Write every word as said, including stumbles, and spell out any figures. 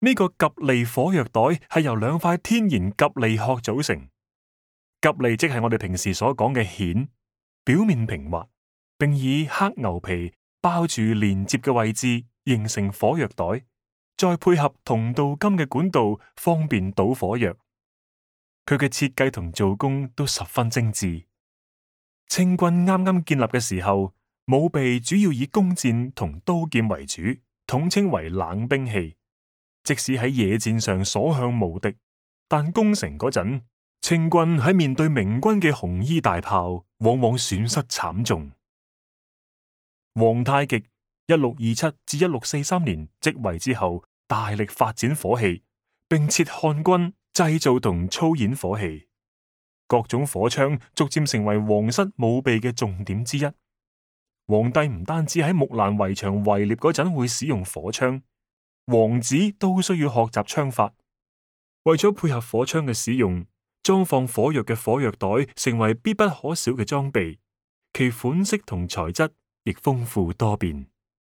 呢個吉利火藥袋係由兩塊天然吉利殼組成。吉利即係我哋平時所講嘅蜆，表面平滑，並以黑牛皮包住連接嘅位置，形成火藥袋，再配合銅鍍金嘅管道，方便倒火藥。佢嘅設計同做工都十分精緻。清軍啱啱建立嘅時候，武備主要以弓箭同刀劍為主，統稱為冷兵器。即使喺野戰上所向無敵，但攻城嗰陣，清軍喺面對明軍嘅紅衣大炮，往往損失慘重。皇太極一六二七至一六四三年即位之後，大力發展火器，並設漢軍製造同操演火器。各種火槍逐漸成為皇室武備嘅重點之一。皇帝唔單止喺木蘭圍牆圍獵嗰陣會使用火槍，王子都需要學習槍法。為咗配合火槍嘅使用，裝放火藥嘅火藥袋成為必不可少嘅裝備，其款式同材質亦豐富多變。